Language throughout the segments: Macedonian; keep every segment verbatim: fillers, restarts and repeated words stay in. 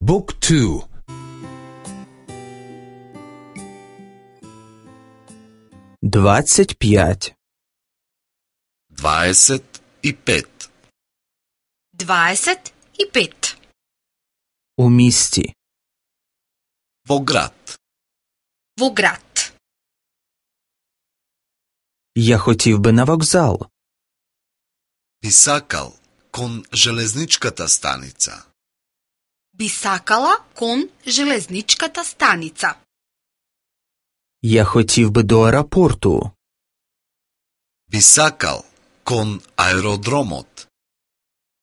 Book two. двадцать пять. дваесет и пет. дваесет и пет. У місті. Во град. Во град. Я хотів би на вокзал. Би сакал кон железничката станица. Би сакала кон железничката станица. Я хотів би до аеропорту. Би сакал кон аеродромот.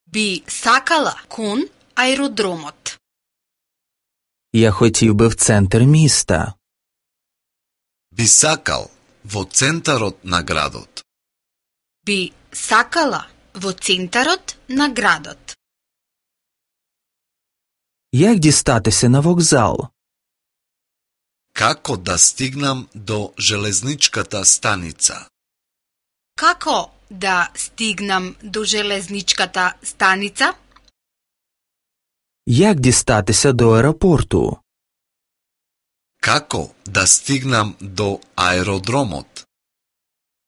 Би сакала кон аеродромот. Я хотів би в центр міста. Би сакал во центарот на градот. Би сакала во центарот на градот. Як дістатися на вокзал? Како да стигнам до железничката станица? Како да стигнам до железничката станица? Як дістатися до аеропорту? Како да стигнам до аеродромот?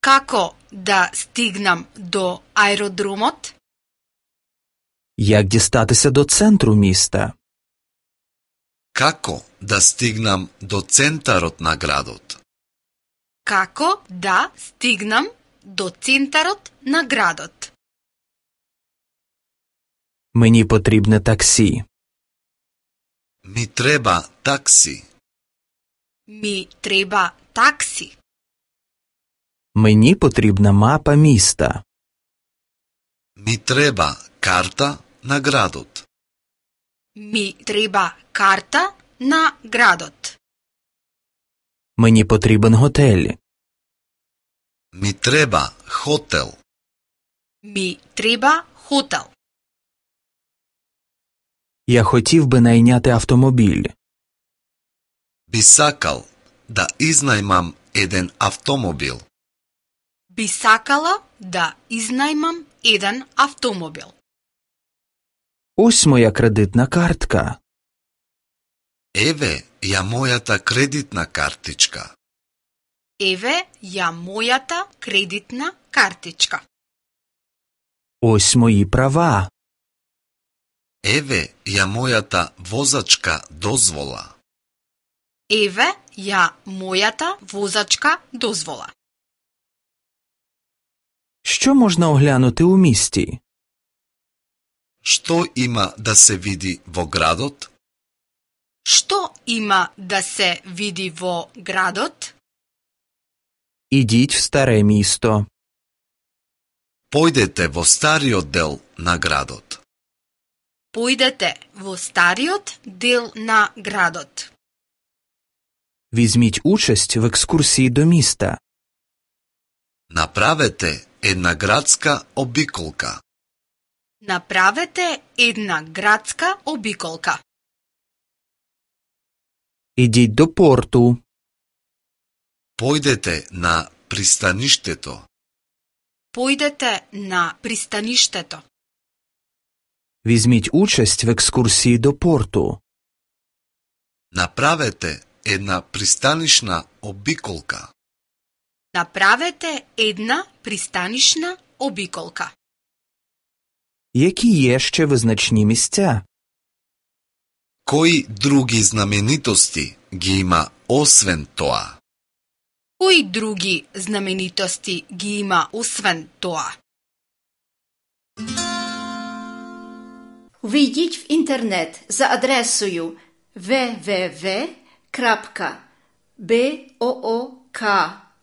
Како да стигнам до аеродромот? Як дістатися до центру міста? Како да стигнам до центарот на градот? Како да стигнам до центарот на градот? Мені потрібне таксі. Ми треба такси. Ми треба такси. Мені потрібна мапа міста. Ми треба карта на градот. Ми треба карта на градот. Мені потрібен готель. Ми треба хотел. Ми треба хотел. Я хотів би найняти автомобіль. Би сакал да изнајмам еден автомобил. Би сакала да изнајмам еден автомобил. Ось моя кредитна картка. Еве ја мојата кредитна картичка. Еве ја мојата кредитна картичка. Ось мої права. Еве ја мојата возачка дозвола. Еве ја мојата возачка дозвола. Що можна оглянути у місті? Што има да се види во градот? Што има да се види во градот? Ідіть в старе місто. Појдете во стариот дел на градот. Појдете во стариот дел на градот. Візьміть участь в екскурсії до міста. Направете една градска обиколка. Направете една градска обиколка. Ідіть до порту. Појдете на пристаништето. Појдете на пристаништето. Візьміть участь в екскурсії до порту. Направете една пристанишна обиколка. Направете една пристанишна обиколка. Які є ще визначні місця? Кои други знаменитости ги има освен тоа? Кои други знаменитости ги има освен тоа? Вийдіть в інтернет за адресою double-u double-u double-u крапка боок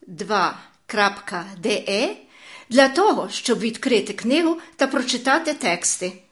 два крапка де для того, щоб відкрити книгу та прочитати тексти.